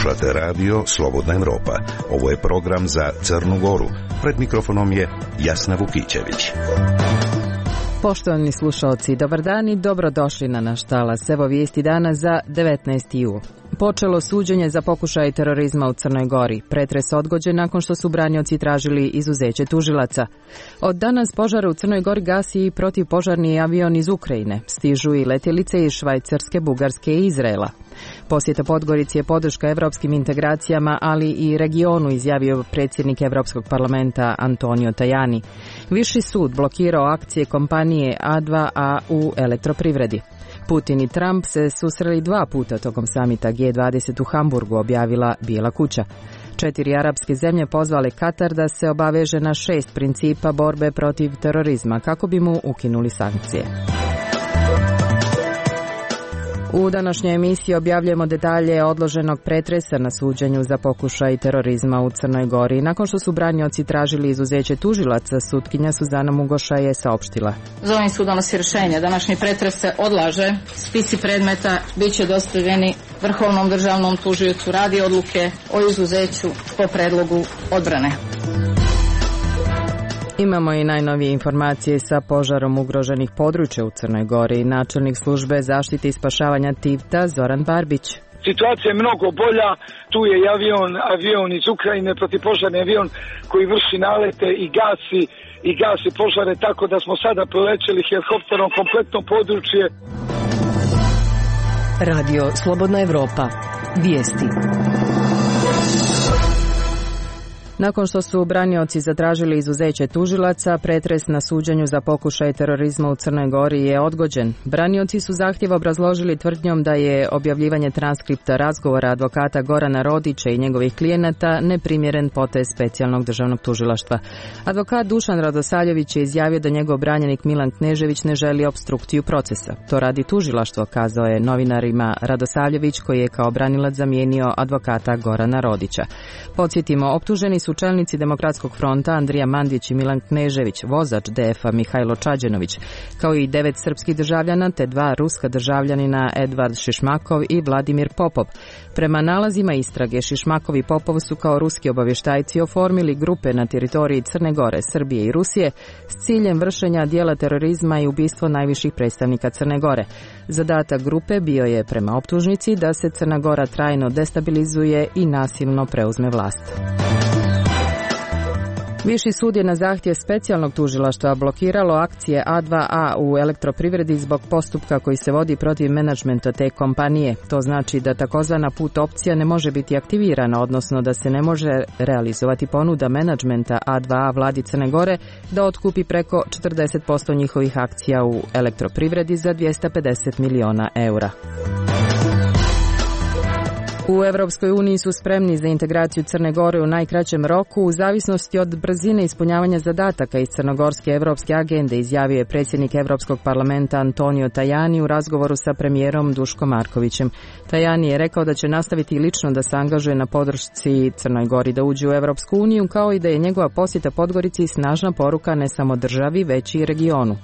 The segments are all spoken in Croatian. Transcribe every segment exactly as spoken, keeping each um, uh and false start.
Slušate radio Slobodna Evropa. Ovo je program za Crnu Goru. Pred mikrofonom je Jasna Vukićević. Poštovani slušalci, dobar dan i dobrodošli na naš talas. Evo vijesti dana za devetnaesti jul. Počelo suđenje za pokušaj terorizma u Crnoj Gori. Pretres odgođen nakon što su branioci tražili izuzeće tužilaca. Od danas požar u Crnoj Gori gasi i protivpožarni avion iz Ukrajine. Stižu i letjelice iz Švajcarske, Bugarske i Izraela. Posjeta Podgorici je podrška evropskim integracijama, ali i regionu, izjavio predsjednik Evropskog parlamenta Antonio Tajani. Viši sud blokirao akcije kompanije A dva A u elektroprivredi. Putin i Trump se susreli dva puta tokom samita G dvadeset u Hamburgu, objavila Bijela kuća. Četiri arapske zemlje pozvale Katar da se obaveže na šest principa borbe protiv terorizma kako bi mu ukinuli sankcije. U današnjoj emisiji objavljujemo detalje odloženog pretresa na suđenju za pokušaj terorizma u Crnoj Gori. Nakon što su branioci tražili izuzeće tužilaca, sutkinja Suzana Mugoša je saopštila: Za ovim sud donosi rješenje. Današnji pretres se odlaže. Spisi predmeta bit će dostavljeni Vrhovnom državnom tužiocu radi odluke o izuzeću po predlogu odbrane. Imamo i najnovije informacije sa požarom ugroženih područja u Crnoj Gori. Načelnik službe zaštite i spašavanja Tivta Zoran Barbić. Situacija je mnogo bolja, tu je i avion, avion iz Ukrajine, protivpožarni avion koji vrši nalete i gasi, i gasi požare, tako da smo sada prolećeli helikopterom kompletno područje. Radio Slobodna Evropa. Vijesti. Nakon što su branioci zatražili izuzeće tužilaca, pretres na suđenju za pokušaj terorizma u Crnoj Gori je odgođen. Branioci su zahtjev obrazložili tvrdnjom da je objavljivanje transkripta razgovora advokata Gorana Rodića i njegovih klijenata neprimjeren potez specijalnog državnog tužilaštva. Advokat Dušan Radosavljević je izjavio da njegov branjenik Milan Knežević ne želi opstrukciju procesa. To radi tužilaštvo, kazao je novinarima Radosavljević, koji je kao branilac zamijenio advokata Gorana Rodića. Podsjetimo, optuženi su čelnici Demokratskog fronta Andrija Mandić i Milan Knežević, vozač D F A Mihajlo Čađenović, kao i devet srpskih državljana te dva ruska državljanina Edvard Šišmakov i Vladimir Popov. Prema nalazima istrage, Šišmakov i Popov su kao ruski obavještajci oformili grupe na teritoriji Crne Gore, Srbije i Rusije s ciljem vršenja dijela terorizma i ubistvo najviših predstavnika Crne Gore. Zadatak grupe bio je, prema optužnici, da se Crna Gora trajno destabilizuje i nasilno preuzme vlast. Viši sud je na zahtjev specijalnog tužilaštva blokiralo akcije A dva A u elektroprivredi zbog postupka koji se vodi protiv menadžmenta te kompanije. To znači da takozvana put opcija ne može biti aktivirana, odnosno da se ne može realizovati ponuda menadžmenta A dva A vladi Crne Gore da otkupi preko četrdeset posto njihovih akcija u elektroprivredi za dvjesto pedeset miliona eura. U Evropskoj uniji su spremni za integraciju Crne Gore u najkraćem roku u zavisnosti od brzine ispunjavanja zadataka iz crnogorske evropske agende, izjavio je predsjednik Evropskog parlamenta Antonio Tajani u razgovoru sa premijerom Duškom Markovićem. Tajani je rekao da će nastaviti lično da se angažuje na podršci Crnoj Gori da uđe u Evropsku uniju, kao i da je njegova posjeta Podgorici snažna poruka ne samo državi, već i regionu.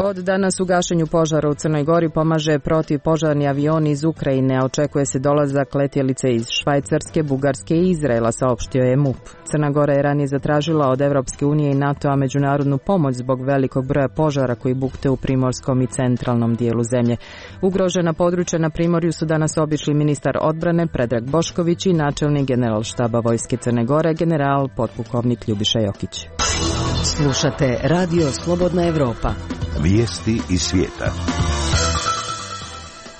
Od danas u gašenju požara u Crnoj Gori pomaže protivpožarni avion iz Ukrajine, a očekuje se dolazak letjelice iz Švajcarske, Bugarske i Izraela, saopštio je M U P. Crna Gora je ranije zatražila od Evropske unije i NATO-a međunarodnu pomoć zbog velikog broja požara koji bukte u primorskom i centralnom dijelu zemlje. Ugrožena područja na primorju su danas obišli ministar odbrane Predrag Bošković i načelnik generalštaba Vojske Crne Gore, general potpukovnik Ljubiša Jokić. Slušate Radio Slobodna Evropa. Vijesti iz svijeta.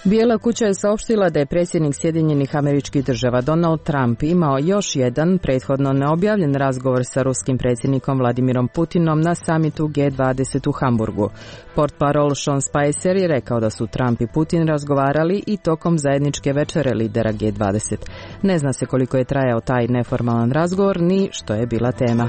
Bijela kuća je saopštila da je predsjednik Sjedinjenih Američkih Država Donald Trump imao još jedan prethodno neobjavljen razgovor sa ruskim predsjednikom Vladimirom Putinom na samitu G dvadeset u Hamburgu. Portparol Sean Spicer je rekao da su Trump i Putin razgovarali i tokom zajedničke večere lidera G dvadeset. Ne zna se koliko je trajao taj neformalan razgovor ni što je bila tema.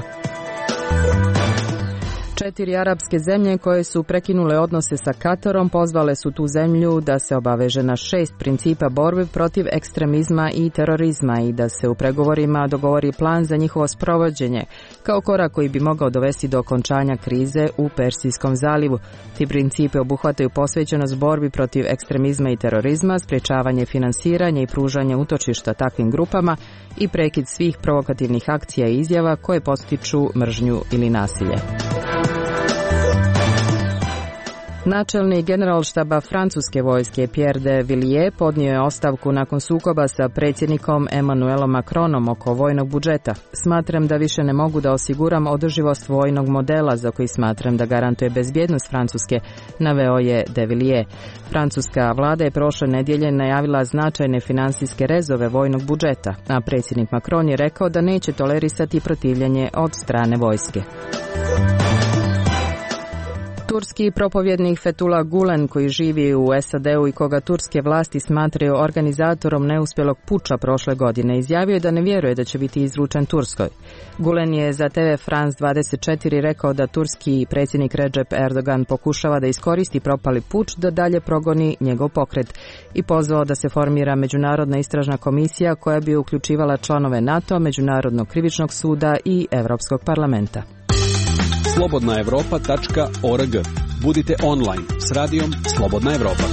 Četiri arapske zemlje koje su prekinule odnose sa Katarom pozvale su tu zemlju da se obaveže na šest principa borbe protiv ekstremizma i terorizma i da se u pregovorima dogovori plan za njihovo sprovođenje, kao korak koji bi mogao dovesti do okončanja krize u Persijskom zalivu. Ti principe obuhvataju posvećenost borbi protiv ekstremizma i terorizma, sprječavanje finansiranja i pružanje utočišta takvim grupama i prekid svih provokativnih akcija i izjava koje postiču mržnju ili nasilje. Načelnik generalštaba francuske vojske Pierre de Villiers podnio je ostavku nakon sukoba sa predsjednikom Emmanuelom Macronom oko vojnog budžeta. Smatram da više ne mogu da osiguram održivost vojnog modela za koji smatram da garantuje bezbjednost Francuske, naveo je de Villiers. Francuska vlada je prošle nedjelje najavila značajne finansijske rezove vojnog budžeta, a predsjednik Macron je rekao da neće tolerisati protivljenje od strane vojske. Turski propovjednik Fethullah Gulen, koji živi u S A D-u i koga turske vlasti smatraju organizatorom neuspjelog puča prošle godine, izjavio je da ne vjeruje da će biti izručen Turskoj. Gulen je za T V France dvadeset četiri rekao da turski predsjednik Recep Erdogan pokušava da iskoristi propali puč da dalje progoni njegov pokret i pozvao da se formira međunarodna istražna komisija koja bi uključivala članove NATO, Međunarodnog krivičnog suda i Europskog parlamenta. slobodna europa tačka org. Budite online s radijom Slobodna Evropa.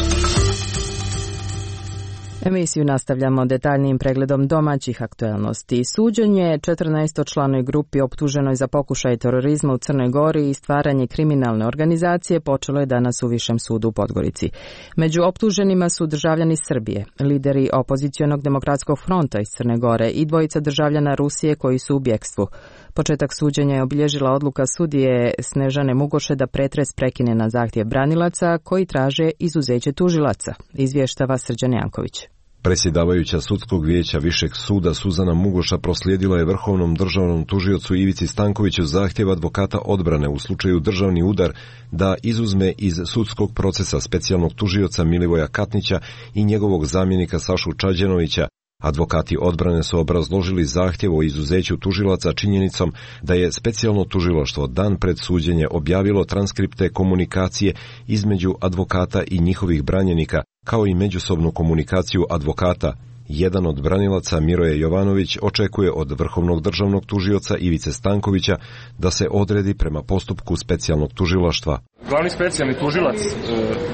Emisiju nastavljamo detaljnijim pregledom domaćih aktuelnosti. Suđenje četrnaestočlanoj grupi optuženoj za pokušaj terorizma u Crnoj Gori i stvaranje kriminalne organizacije počelo je danas u Višem sudu u Podgorici. Među optuženima su državljani Srbije, lideri opozicionog demokratskog fronta iz Crne Gore i dvojica državljana Rusije koji su u bjekstvu. Početak suđenja je obilježila odluka sudije Snežane Mugoše da pretres prekine na zahtjev branilaca koji traže izuzeće tužilaca, izvještava Srđan Janković. Predsjedavajuća sudskog vijeća Višeg suda Suzana Mugoša proslijedila je vrhovnom državnom tužiocu Ivici Stankoviću zahtjev advokata odbrane u slučaju državni udar da izuzme iz sudskog procesa specijalnog tužioca Milivoja Katnića i njegovog zamjenika Sašu Čađenovića. Advokati odbrane su obrazložili zahtjev o izuzeću tužilaca činjenicom da je specijalno tužilaštvo dan pred suđenje objavilo transkripte komunikacije između advokata i njihovih branjenika, kao i međusobnu komunikaciju advokata. Jedan od branilaca, Miroje Jovanović, očekuje od vrhovnog državnog tužioca Ivice Stankovića da se odredi prema postupku specijalnog tužilaštva. Glavni specijalni tužilac e,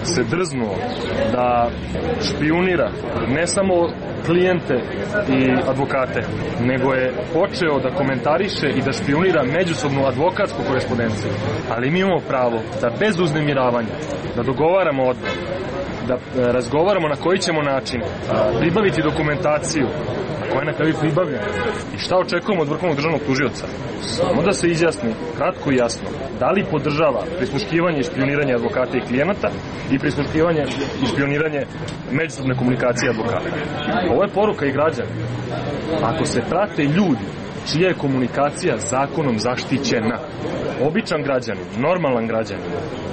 se drznuo da špijunira ne samo klijente i advokate, nego je počeo da komentariše i da špijunira međusobnu advokatsku korespondenciju. Ali mi imamo pravo da bez uznemiravanja, da dogovaramo odbor, da razgovaramo na koji ćemo način pribaviti dokumentaciju koja je na kraju pribavljena i šta očekujemo od vrhovnog državnog tužioca. Samo da se izjasni kratko i jasno da li podržava prisluškivanje i špijuniranje advokata i klijenata i prisluškivanje i špijuniranje međusobne komunikacije advokata. Ovo je poruka i građana. Ako se prate ljudi čija je komunikacija zakonom zaštićena, običan građanin, normalan građanin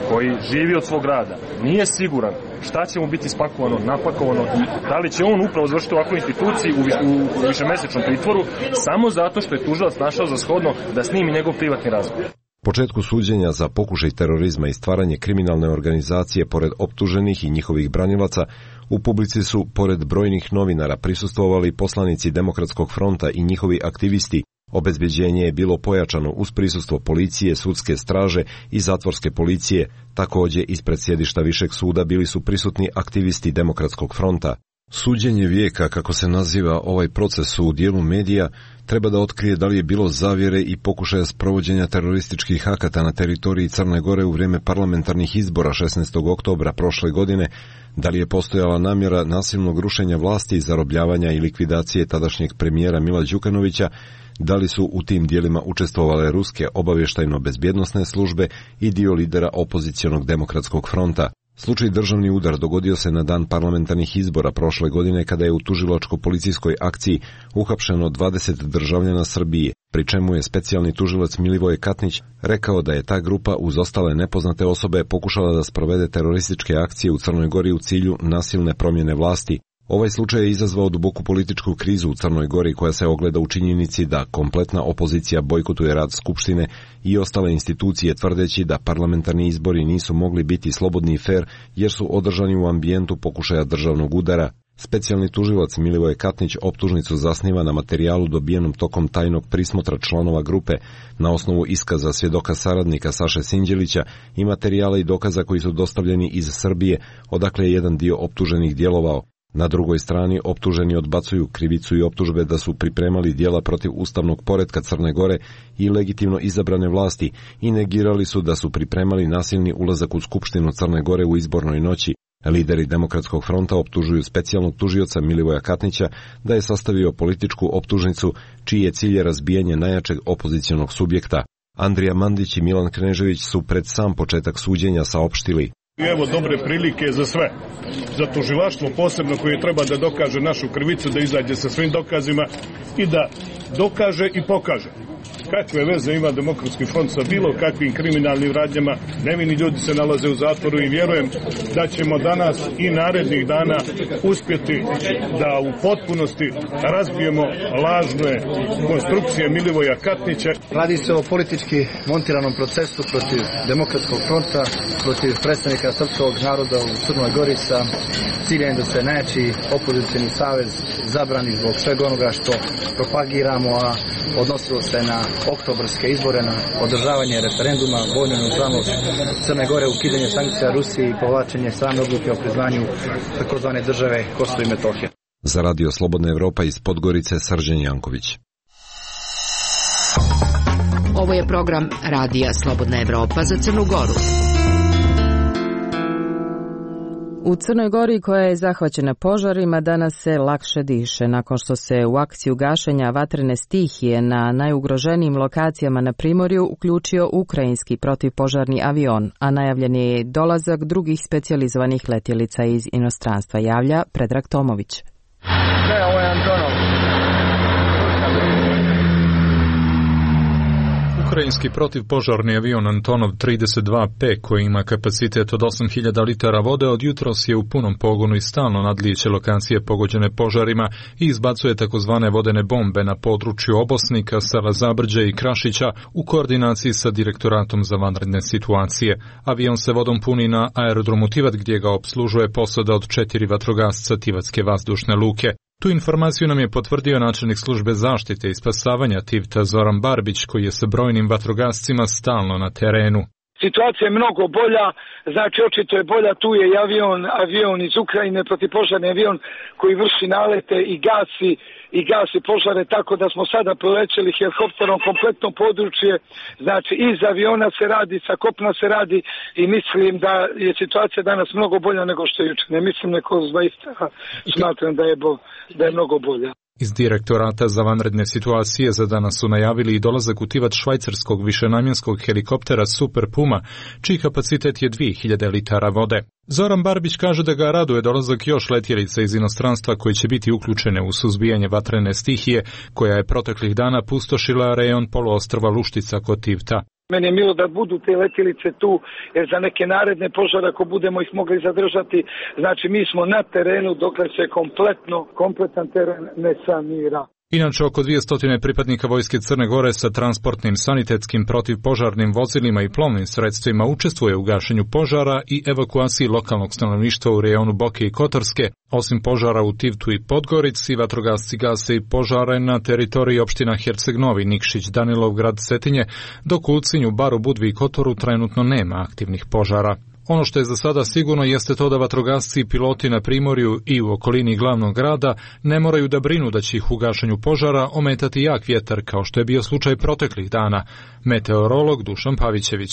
koji živi od svog rada, nije siguran šta će mu biti spakovano, napakovano i da li će on upravo završiti u ovakvoj instituciji u, u, u višemesečnom pritvoru samo zato što je tužilac našao za shodno da snimi njegov privatni razgovor. Početku suđenja za pokušaj terorizma i stvaranje kriminalne organizacije pored optuženih i njihovih branilaca, u publici su, pored brojnih novinara, prisustvovali poslanici Demokratskog fronta i njihovi aktivisti. Obezbeđenje je bilo pojačano uz prisustvo policije, sudske straže i zatvorske policije. Također, ispred sjedišta Višeg suda bili su prisutni aktivisti Demokratskog fronta. Suđenje vijeka, kako se naziva ovaj proces u dijelu medija, treba da otkrije da li je bilo zavjere i pokušaja sprovođenja terorističkih akata na teritoriji Crne Gore u vrijeme parlamentarnih izbora šesnaestog oktobra prošle godine, da li je postojala namjera nasilnog rušenja vlasti, zarobljavanja i likvidacije tadašnjeg premijera Mila Đukanovića, da li su u tim dijelima učestvovale ruske obavještajno-bezbjednosne službe i dio lidera opozicionog Demokratskog fronta. Slučaj državni udar dogodio se na dan parlamentarnih izbora prošle godine kada je u tužilačko-policijskoj akciji uhapšeno dvadeset državljana Srbije, pri čemu je specijalni tužilac Milivoje Katnić rekao da je ta grupa uz ostale nepoznate osobe pokušala da sprovede terorističke akcije u Crnoj Gori u cilju nasilne promjene vlasti. Ovaj slučaj je izazvao duboku političku krizu u Crnoj Gori koja se ogleda u činjenici da kompletna opozicija bojkotuje rad Skupštine i ostale institucije tvrdeći da parlamentarni izbori nisu mogli biti slobodni i fer jer su održani u ambijentu pokušaja državnog udara. Specijalni tužilac Milivoje Katnić optužnicu zasniva na materijalu dobijenom tokom tajnog prismotra članova grupe na osnovu iskaza svjedoka saradnika Saše Sinđelića i materijala i dokaza koji su dostavljeni iz Srbije, odakle je jedan dio optuženih djelovao. Na drugoj strani optuženi odbacuju krivicu i optužbe da su pripremali djela protiv ustavnog poretka Crne Gore i legitimno izabrane vlasti i negirali su da su pripremali nasilni ulazak u Skupštinu Crne Gore u izbornoj noći. Lideri Demokratskog fronta optužuju specijalnog tužioca Milivoja Katnića da je sastavio političku optužnicu čiji je cilj razbijanje najjačeg opozicionog subjekta. Andrija Mandić i Milan Knežević su pred sam početak suđenja saopštili: I evo dobre prilike za sve. Za tužilaštvo posebno koje treba da dokaže našu krivicu, da izađe sa svim dokazima i da dokaže i pokaže. Kakve veze ima Demokratski front sa bilo kakvim kriminalnim radnjama, nevini ljudi se nalaze u zatvoru i vjerujem da ćemo danas i narednih dana uspjeti da u potpunosti razbijemo lažne konstrukcije Milivoja Katnića. Radi se o politički montiranom procesu protiv Demokratskog fronta, protiv predstavnika srpskog naroda u Crnoj Gori sa ciljem da se najjači opozicioni savez zabrani zbog svega onoga što propagiramo, a odnosilo se na oktobarske izbore, na održavanje referenduma, vojnu neutralnost Crne Gore, ukidanje sankcija Rusiji i povlačenje same odluke o priznanju takozvane države Kosovo i Metohija. Za Radio Slobodna Evropa iz Podgorice, Srđan Janković. Ovo je program Radija Slobodna Evropa za Crnu Goru. U Crnoj Gori, koja je zahvaćena požarima, danas se lakše diše nakon što se u akciju gašenja vatrene stihije na najugroženijim lokacijama na Primorju uključio ukrajinski protivpožarni avion, a najavljen je dolazak drugih specijalizovanih letjelica iz inostranstva, javlja Predrag Tomović. Ne, ovo je Antonov. Ukrajinski protivpožarni avion Antonov trideset dva P, koji ima kapacitet od osam hiljada litara vode, od jutros je u punom pogonu i stalno nadlijeće lokacije pogođene požarima i izbacuje takozvane vodene bombe na području Obosnika, Sela Zabrđe i Krašića u koordinaciji sa Direktoratom za vanredne situacije. Avion se vodom puni na aerodromu Tivat, gdje ga opslužuje posada od četiri vatrogasca Tivatske vazdušne luke. Tu informaciju nam je potvrdio načelnik službe zaštite i spasavanja Tivta Zoran Barbić, koji je sa brojnim vatrogascima stalno na terenu. Situacija je mnogo bolja, znači očito je bolja, tu je i avion, avion iz Ukrajine, protivpožarni avion koji vrši nalete i gasi i gasi požare, tako da smo sada prolećeli helikopterom kompletno područje, znači iz aviona se radi, sa kopna se radi i mislim da je situacija danas mnogo bolja nego što je jučer. Ne mislim neko zaista, smatram da je, bo, da je mnogo bolja. Iz Direktorata za vanredne situacije za danas su najavili i dolazak u Tivat švajcarskog višenamjenskog helikoptera Super Puma, čiji kapacitet je dvije hiljade litara vode. Zoran Barbić kaže da ga raduje dolazak još letjelica iz inostranstva koji će biti uključene u suzbijanje vatrene stihije, koja je proteklih dana pustošila rejon poluostrva Luštica kod Tivta. Meni je milo da budu te letjelice tu, jer za neke naredne požare, ako budemo ih mogli zadržati, znači mi smo na terenu dokle se kompletno, kompletan teren ne sanira. Inače, oko dvjesto pripadnika Vojske Crne Gore sa transportnim, sanitetskim, protivpožarnim vozilima i plovnim sredstvima učestvuje u gašenju požara i evakuaciji lokalnog stanovništva u rejonu Boke i Kotorske. Osim požara u Tivtu i Podgorici, vatrogasci gase i požare na teritoriji opština Herceg Novi, Nikšić, Danilovgrad, Cetinje, dok u Ulcinju, Baru, Budvi i Kotoru trenutno nema aktivnih požara. Ono što je za sada sigurno jeste to da vatrogasci i piloti na Primorju i u okolini glavnog grada ne moraju da brinu da će ih u gašenju požara ometati jak vjetar, kao što je bio slučaj proteklih dana. Meteorolog Dušan Pavićević.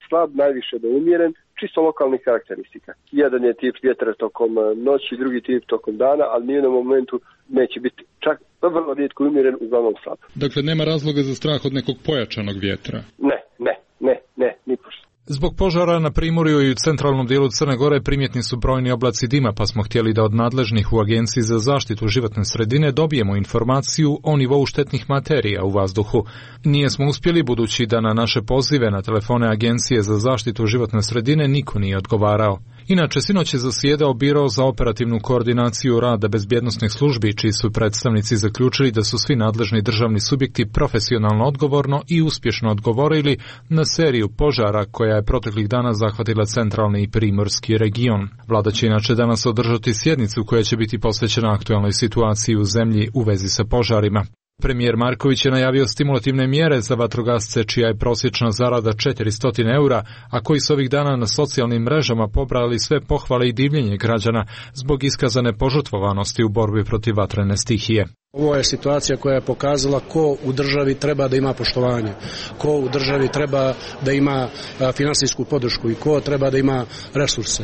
Slab, najviše do umjeren, čisto lokalnih karakteristika. Jedan je tip vjetra tokom noći, drugi tip tokom dana, ali ni u jednom momentu neće biti čak vrlo rijetko umjeren, uglavnom slab. Dakle, nema razloga za strah od nekog pojačanog vjetra? Ne, ne, ne, ne, ni pošto. Zbog požara na Primorju i u centralnom dijelu Crne Gore primjetni su brojni oblaci dima, pa smo htjeli da od nadležnih u Agenciji za zaštitu životne sredine dobijemo informaciju o nivou štetnih materija u vazduhu. Nije smo uspjeli, budući da na naše pozive na telefone Agencije za zaštitu životne sredine niko nije odgovarao. Inače, sinoć je zasjedao Biro za operativnu koordinaciju rada bezbjednosnih službi, čiji su predstavnici zaključili da su svi nadležni državni subjekti profesionalno odgovorno i uspješno odgovorili na seriju požara koja je proteklih dana zahvatila centralni i primorski region. Vlada će inače danas održati sjednicu koja će biti posvećena aktualnoj situaciji u zemlji u vezi sa požarima. Premijer Marković je najavio stimulativne mjere za vatrogasce čija je prosječna zarada četiristo eura, a koji su ovih dana na socijalnim mrežama pobrali sve pohvale i divljenje građana zbog iskazane požrtvovanosti u borbi protiv vatrene stihije. Ovo je situacija koja je pokazala ko u državi treba da ima poštovanje, ko u državi treba da ima finansijsku podršku i ko treba da ima resurse.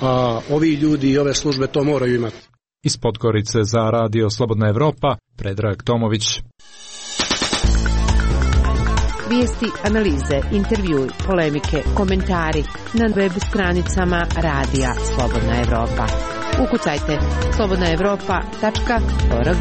A ovi ljudi i ove službe to moraju imati. Iz Podgorice za Radio Slobodna Evropa, Predrag Tomović. Vijesti, analize, intervjui, polemike, komentari na web stranicama Radija Slobodna Evropa. Ukucajte slobodna evropa tačka org.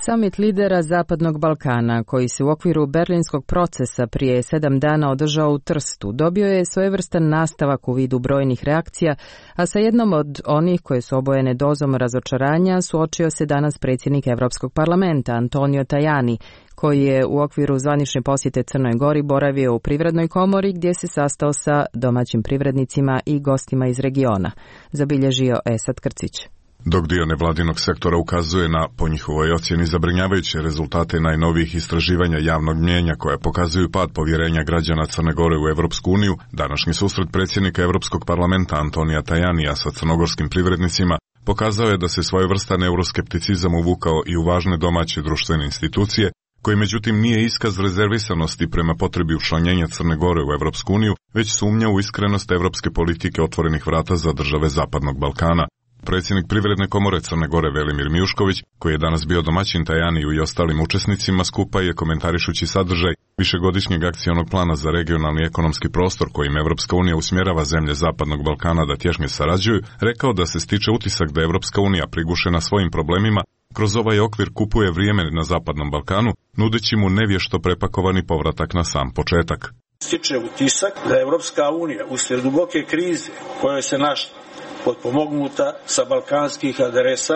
Samit lidera Zapadnog Balkana, koji se u okviru berlinskog procesa prije sedam dana održao u Trstu, dobio je svojevrstan nastavak u vidu brojnih reakcija, a sa jednom od onih koje su obojene dozom razočaranja suočio se danas predsjednik Europskog parlamenta Antonio Tajani, koji je u okviru zvanične posjete Crnoj Gori boravio u Privrednoj komori gdje se sastao sa domaćim privrednicima i gostima iz regiona, zabilježio Esad Krcić. Dok dio nevladinog sektora ukazuje na, po njihovoj ocjeni, zabrinjavajuće rezultate najnovijih istraživanja javnog mnijenja koja pokazuju pad povjerenja građana Crne Gore u Evropsku uniju, današnji susret predsjednika Europskog parlamenta Antonija Tajanija sa crnogorskim privrednicima pokazao je da se svojevrstan euroskepticizam uvukao i u važne domaće društvene institucije, koji međutim nije iskaz rezervisanosti prema potrebi učlanjenja Crne Gore u Evropsku uniju, već sumnja u iskrenost evropske politike otvorenih vrata za države Zapadnog Balkana. Predsjednik Privredne komore Crne Gore Velimir Mijušković, koji je danas bio domaćin Tajaniju i ostalim učesnicima skupa, je komentarišući sadržaj višegodišnjeg akcionog plana za regionalni ekonomski prostor kojim Evropska unija usmjerava zemlje Zapadnog Balkana da tješnje sarađuju, rekao da se stiče utisak da Evropska unija prigušena svojim problemima kroz ovaj okvir kupuje vrijeme na Zapadnom Balkanu, nudeći mu nevješto prepakovani povratak na sam početak. Stiče utisak da je Evropska unija uslijed duboke krize kojoj se našla potpomognuta sa balkanskih adresa,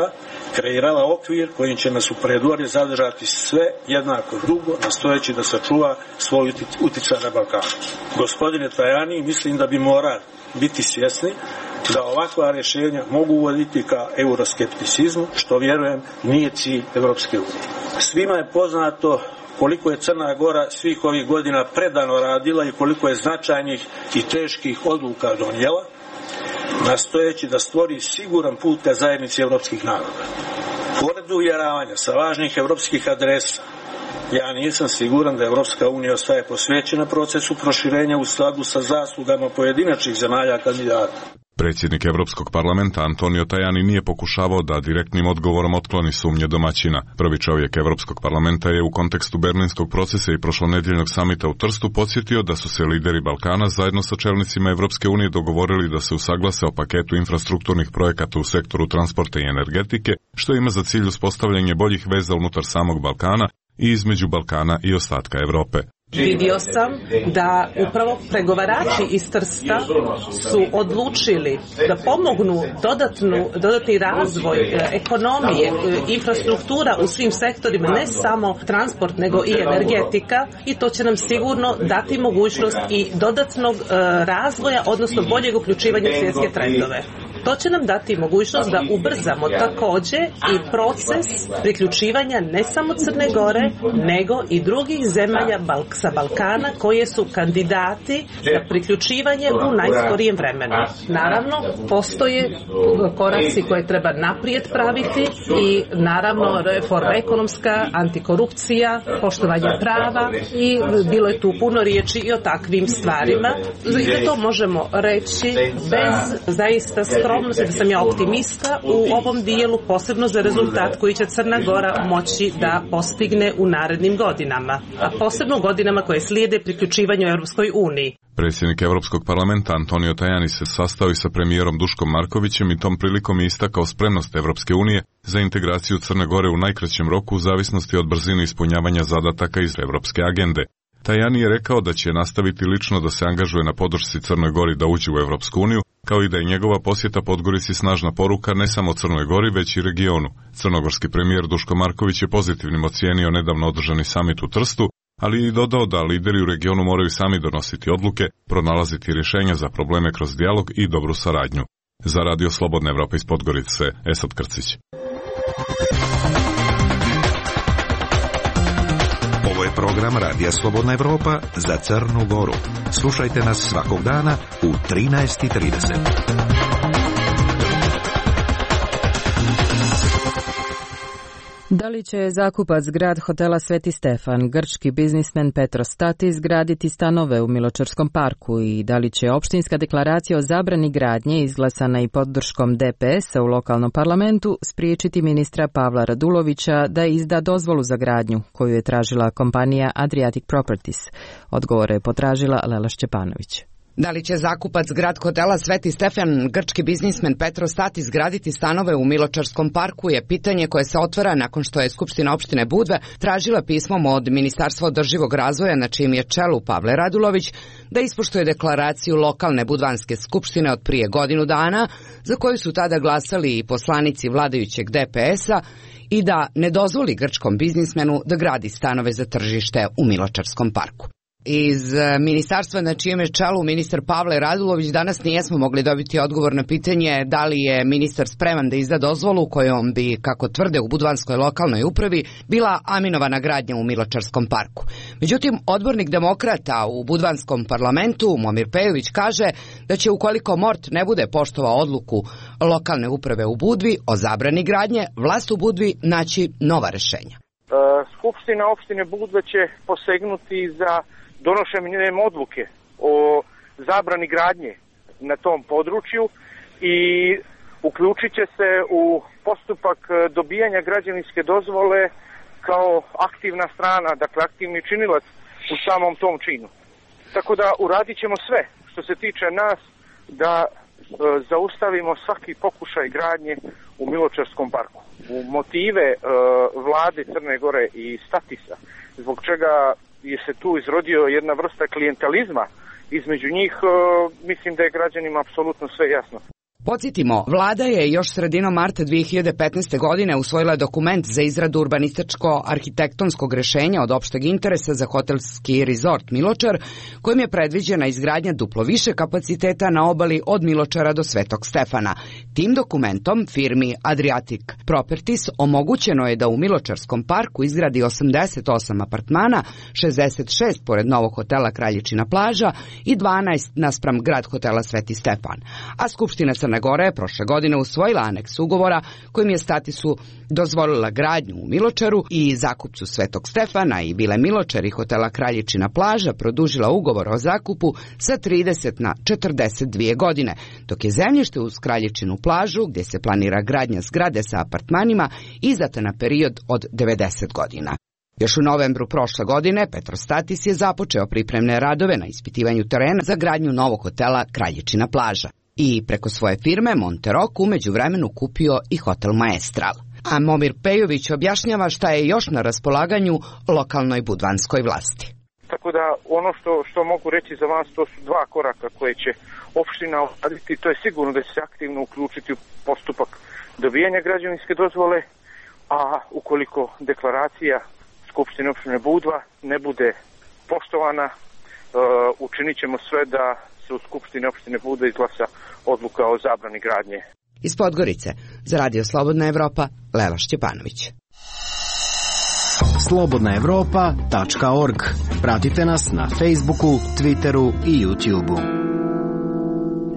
kreirala okvir kojim će nas u predvorje zadržati sve jednako dugo, nastojeći da sačuva svoj uticaj na Balkanu. Gospodine Tajani, mislim da bi morali biti svjesni da ovakva rješenja mogu uvoditi ka euroskepticizmu, što vjerujem nije cilj Evropske unije. Svima je poznato koliko je Crna Gora svih ovih godina predano radila i koliko je značajnih i teških odluka donijela, nastojeći da stvori siguran put ka zajednici evropskih naroda. Pored uvjeravanja sa važnih evropskih adresa, ja nisam siguran da Evropska unija ostaje posvećena procesu proširenja u skladu sa zaslugama pojedinačnih zemalja kandidata. Predsjednik Europskog parlamenta Antonio Tajani nije pokušavao da direktnim odgovorom otkloni sumnje domaćina. Prvi čovjek Europskog parlamenta je u kontekstu berlinskog procesa i prošlonedjeljnog samita u Trstu podsjetio da su se lideri Balkana zajedno sa čelnicima Evropske unije dogovorili da se usaglase o paketu infrastrukturnih projekata u sektoru transporta i energetike, što ima za cilj uspostavljanje boljih veza unutar samog Balkana i između Balkana i ostatka Europe. Vidio sam da upravo pregovarači iz Trsta su odlučili da pomognu dodatnu, dodatni razvoj ekonomije, infrastruktura u svim sektorima, ne samo transport nego i energetika, i to će nam sigurno dati mogućnost i dodatnog razvoja, odnosno boljeg uključivanja u svjetske trendove. To će nam dati mogućnost da ubrzamo također i proces priključivanja ne samo Crne Gore, nego i drugih zemalja sa Balkana koje su kandidati za priključivanje u najskorijem vremenu. Naravno, postoje koraci koje treba naprijed praviti i naravno reforma ekonomska, antikorupcija, poštovanje prava, i bilo je tu puno riječi i o takvim stvarima. I to možemo reći bez zaista skromnosti, da sam ja optimista u ovom dijelu, posebno za rezultat koji će Crna Gora moći da postigne u narednim godinama, a posebno u godinama koje slijede priključivanju Europskoj uniji. Predsjednik Europskog parlamenta Antonio Tajani se sastao i sa premijerom Duškom Markovićem i tom prilikom je istakao spremnost Europske unije za integraciju Crne Gore u najkraćem roku u zavisnosti od brzine ispunjavanja zadataka iz europske agende. Tajani je rekao da će nastaviti lično da se angažuje na podršci Crnoj Gori da uđe u Evropsku uniju, kao i da je njegova posjeta Podgorici snažna poruka ne samo Crnoj Gori, već i regionu. Crnogorski premijer Duško Marković je pozitivnim ocijenio nedavno održani samit u Trstu, ali i dodao da lideri u regionu moraju sami donositi odluke, pronalaziti rješenja za probleme kroz dijalog i dobru saradnju. Za Radio Slobodna Evropa iz Podgorice, Esad Krcić. Ovo je program Radija Slobodna Evropa za Crnu Goru. Slušajte nas svakog dana u trinaest i trideset. Da li će zakupac Grad hotela Sveti Stefan, grčki biznismen Petros Statis, graditi stanove u Miločarskom parku i da li će opštinska deklaracija o zabrani gradnje izglasana i podrškom D P S-a u lokalnom parlamentu spriječiti ministra Pavla Radulovića da izda dozvolu za gradnju koju je tražila kompanija Adriatic Properties? Odgovore je potražila Lela Šćepanović. Da li će zakupac Grad hotela Sveti Stefan, grčki biznismen Petros Statis, graditi stanove u Miločarskom parku je pitanje koje se otvara nakon što je Skupština opštine Budva tražila pismom od Ministarstva održivog razvoja, na čijem je čelu Pavle Radulović, da ispoštuje deklaraciju lokalne budvanske skupštine od prije godinu dana, za koju su tada glasali i poslanici vladajućeg D P S-a, i da ne dozvoli grčkom biznismenu da gradi stanove za tržište u Miločarskom parku. Iz ministarstva na čijem je čelu ministar Pavle Radulović danas nijesmo mogli dobiti odgovor na pitanje da li je ministar spreman da izda dozvolu kojom bi, kako tvrde u budvanskoj lokalnoj upravi, bila aminovana gradnja u Miločarskom parku. Međutim, odbornik demokrata u budvanskom parlamentu Momir Pejović kaže da će, ukoliko Mort ne bude poštovao odluku lokalne uprave u Budvi o zabrani gradnje, vlast u Budvi naći nova rešenja. Skupština opštine Budva će posegnuti za donošenjem odluke o zabrani gradnje na tom području i uključit će se u postupak dobijanja građevinske dozvole kao aktivna strana, dakle aktivni činilac u samom tom činu. Tako da uradit ćemo sve što se tiče nas da e, zaustavimo svaki pokušaj gradnje u Miločarskom parku. U motive e, vlade Crne Gore i Statisa, zbog čega je se tu izrodio jedna vrsta klijentalizma između njih, e, mislim da je građanima apsolutno sve jasno. Podsjetimo, vlada je još sredinom marta dvije hiljade petnaeste. godine usvojila dokument za izradu urbanističko-arhitektonskog rešenja od opšteg interesa za hotelski rezort Miločar, kojim je predviđena izgradnja duplo više kapaciteta na obali od Miločara do Svetog Stefana. Tim dokumentom firmi Adriatic Properties omogućeno je da u Miločarskom parku izgradi osamdeset osam apartmana, šezdeset šest pored novog hotela Kraljičina plaža i dvanaest naspram Grad hotela Sveti Stefan. A Skupština Crne Gore je prošle godine usvojila aneks ugovora kojim je Statisu dozvolila gradnju u Miločaru i zakupcu Svetog Stefana i Vile Miločar i hotela Kraljičina plaža produžila ugovor o zakupu sa trideset na četrdeset dvije godine, dok je zemljište uz Kraljičinu plažu, gdje se planira gradnja zgrade sa apartmanima, izdata na period od devedeset godina. Još u novembru prošle godine Petros Statis je započeo pripremne radove na ispitivanju terena za gradnju novog hotela Kraljičina plaža i preko svoje firme Monterok u međuvremenu kupio i hotel Maestral. A Momir Pejović objašnjava šta je još na raspolaganju lokalnoj budvanskoj vlasti. Tako da ono što, što mogu reći za vas, to su dva koraka koje će opština odraditi. To je sigurno da će se aktivno uključiti u postupak dobijanja građevinske dozvole, a ukoliko deklaracija Skupštine opštine Budva ne bude poštovana, uh, učinit ćemo sve da se u Skupštini opštine Budva izglasa odluka o zabrani gradnje. Iz Podgorice, za Radio Slobodna Evropa, Lela Šćepanović. slobodna evropa tačka org. Pratite nas na Facebooku, Twitteru i YouTubeu.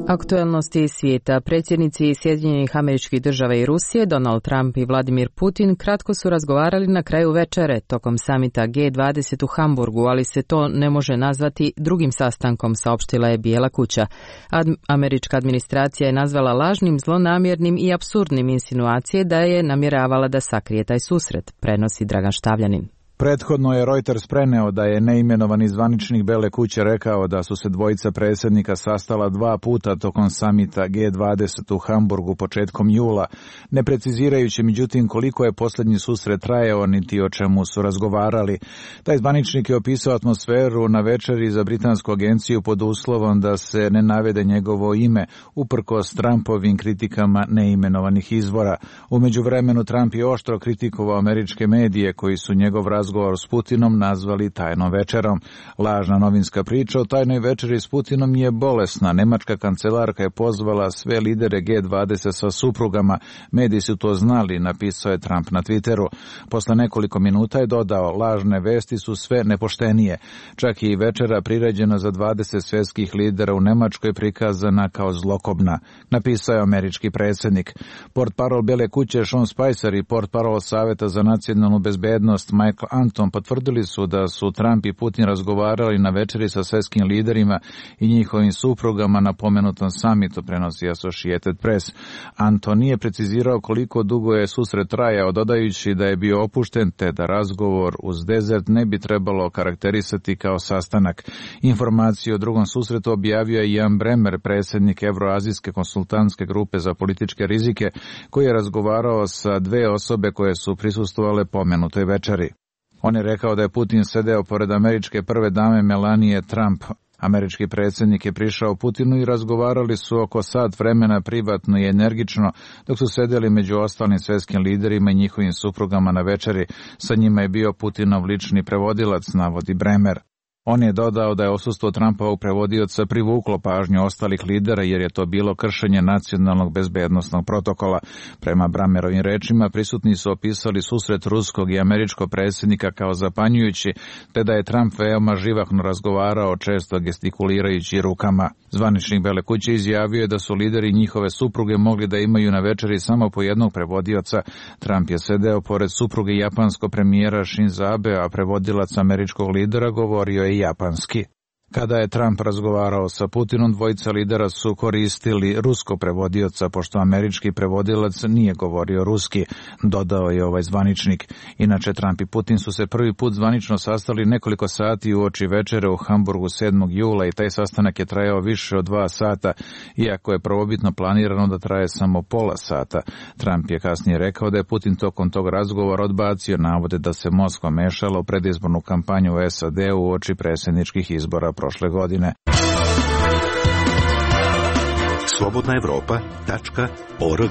Aktuelnosti svijeta. Predsjednici Sjedinjenih Američkih Država i Rusije, Donald Trump i Vladimir Putin, kratko su razgovarali na kraju večere tokom samita G dvadeset u Hamburgu, ali se to ne može nazvati drugim sastankom, saopštila je Bijela kuća. Ad, američka administracija je nazvala lažnim, zlonamjernim i apsurdnim insinuacije da je namjeravala da sakrije taj susret, prenosi Dragan Štavljanin. Prethodno je Reuters preneo da je neimenovani zvaničnik Bele kuće rekao da su se dvojica predsjednika sastala dva puta tokom samita G dvadeset u Hamburgu početkom jula, ne precizirajući međutim koliko je posljednji susret trajao niti o čemu su razgovarali. Taj zvaničnik je opisao atmosferu na večeri za britansku agenciju pod uslovom da se ne navede njegovo ime, uprkos Trumpovim kritikama neimenovanih izvora. U međuvremenu Trump je oštro kritikovao američke medije koji su njegov razgovor s Putinom nazvali tajnom večerom. Lažna novinska priča o tajnoj večeri s Putinom je bolesna. Nemačka kancelarka je pozvala sve lidere G dvadeset sa suprugama. Mediji su to znali, napisao je Trump na Twitteru. Posle nekoliko minuta je dodao, lažne vesti su sve nepoštenije. Čak i večera priređena za dvadeset svjetskih lidera u Nemačkoj prikazana kao zlokobna, napisao je američki predsjednik. Portparol Bele kuće Sean Spicer i portparol Saveta za nacionalnu bezbednost Michael Anton potvrdili su da su Trump i Putin razgovarali na večeri sa svjetskim liderima i njihovim suprugama na pomenutom samitu, prenosi Associated Press. Anton nije precizirao koliko dugo je susret trajao, dodajući da je bio opušten te da razgovor uz Desert ne bi trebalo karakterisati kao sastanak. Informaciju o drugom susretu objavio je Jan Bremer, predsjednik Evroazijske konsultantske grupe za političke rizike, koji je razgovarao sa dve osobe koje su prisustvovale pomenutoj večeri. On je rekao da je Putin sedeo pored američke prve dame Melanie Trump. Američki predsjednik je prišao Putinu i razgovarali su oko sat vremena privatno i energično, dok su sedeli među ostalim svjetskim liderima i njihovim suprugama na večeri. Sa njima je bio Putinov lični prevodilac, navodi Bremer. On je dodao da je odsustvo Trumpovog prevodioca privuklo pažnju ostalih lidera jer je to bilo kršenje nacionalnog bezbednosnog protokola. Prema Bremerovim rečima prisutni su opisali susret ruskog i američkog predsjednika kao zapanjujući, te da je Trump veoma živahno razgovarao, često gestikulirajući rukama. Zvaničnik Bele kuće izjavio je da su lideri njihove supruge mogli da imaju na večeri samo po jednog prevodioca. Trump je sedeo pored supruge japanskog premijera Shinzo Abe, a prevodilac američkog lidera govorio je japanski. Kada je Trump razgovarao sa Putinom, dvojica lidera su koristili ruskog prevodioca, pošto američki prevodilac nije govorio ruski, dodao je ovaj zvaničnik. Inače, Trump i Putin su se prvi put zvanično sastali nekoliko sati uoči večere u Hamburgu sedmog jula i taj sastanak je trajao više od dva sata, iako je prvobitno planirano da traje samo pola sata. Trump je kasnije rekao da je Putin tokom tog razgovora odbacio navode da se Moskva mešala u predizbornu kampanju u S A D uoči predsjedničkih izbora prošle godine. slobodna evropa tačka org.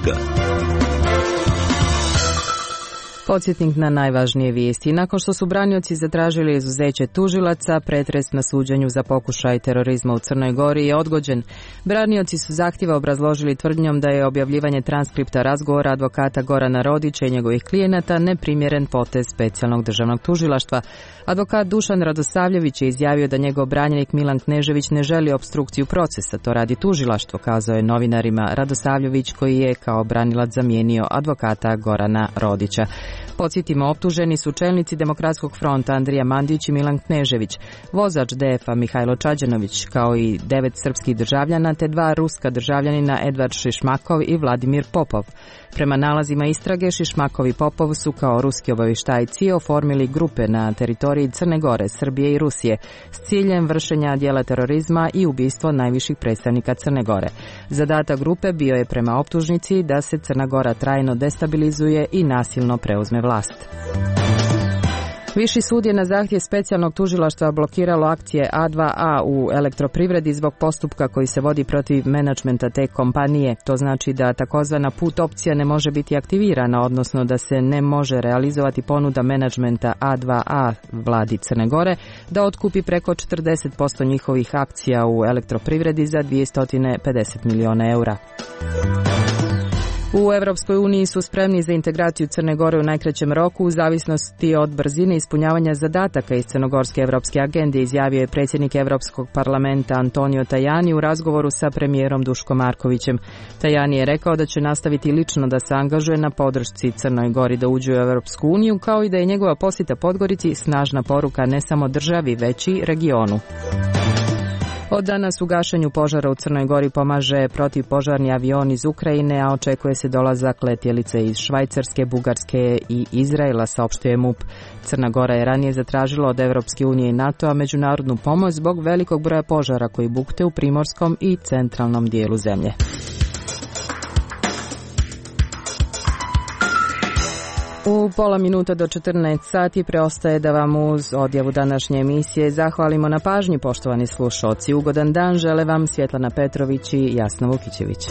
Podsjetnik na najvažnije vijesti. Nakon što su branioci zatražili izuzeće tužilaca, pretres na suđenju za pokušaj terorizma u Crnoj Gori je odgođen. Branioci su zahtjeva obrazložili tvrdnjom da je objavljivanje transkripta razgovora advokata Gorana Rodića i njegovih klijenata neprimjeren potez specijalnog državnog tužilaštva. Advokat Dušan Radosavljević je izjavio da njegov branjenik Milan Knežević ne želi opstrukciju procesa, to radi tužilaštvo, kazao je novinarima Radosavljević, koji je kao branilac zamijenio advokata Gorana Rodića. Podsjetimo, optuženi su čelnici Demokratskog fronta Andrija Mandić i Milan Knežević, vozač D F a Mihajlo Čađanović, kao i devet srpskih državljana te dva ruska državljanina Edvard Šišmakov i Vladimir Popov. Prema nalazima istrage, Šišmakov i Popov su kao ruski obavještajci oformili grupe na teritoriji Crne Gore, Srbije i Rusije s ciljem vršenja djela terorizma i ubistvo najviših predstavnika Crne Gore. Zadatak grupe bio je prema optužnici da se Crna Gora trajno destabilizuje i nasilno preuzme vlast. Viši sud je na zahtjev specijalnog tužilaštva blokiralo akcije A dva A u elektroprivredi zbog postupka koji se vodi protiv menadžmenta te kompanije. To znači da takozvana put opcija ne može biti aktivirana, odnosno da se ne može realizovati ponuda menadžmenta A dva A vladi Crne Gore da otkupi preko četrdeset posto njihovih akcija u elektroprivredi za dvjesto pedeset miliona eura. U Europskoj uniji su spremni za integraciju Crne Gore u najkraćem roku u zavisnosti od brzine ispunjavanja zadataka iz crnogorske evropske agende, izjavio je predsjednik Europskog parlamenta Antonio Tajani u razgovoru sa premijerom Duškom Markovićem. Tajani je rekao da će nastaviti lično da se angažuje na podršci Crnoj Gori da uđe u Europsku uniju, kao i da je njegova posjeta Podgorici snažna poruka ne samo državi, već i regionu. Od danas u gašenju požara u Crnoj Gori pomaže protivpožarni avion iz Ukrajine, a očekuje se dolazak letjelice iz Švajcarske, Bugarske i Izraela, saopštuje MUP. Crna Gora je ranije zatražila od Evropske unije i NATO-a međunarodnu pomoć zbog velikog broja požara koji bukte u primorskom i centralnom dijelu zemlje. U pola minuta do četrnaest sati preostaje da vam uz odjavu današnje emisije zahvalimo na pažnji, poštovani slušalci. Ugodan dan žele vam Svjetlana Petrović i Jasna Vukićević.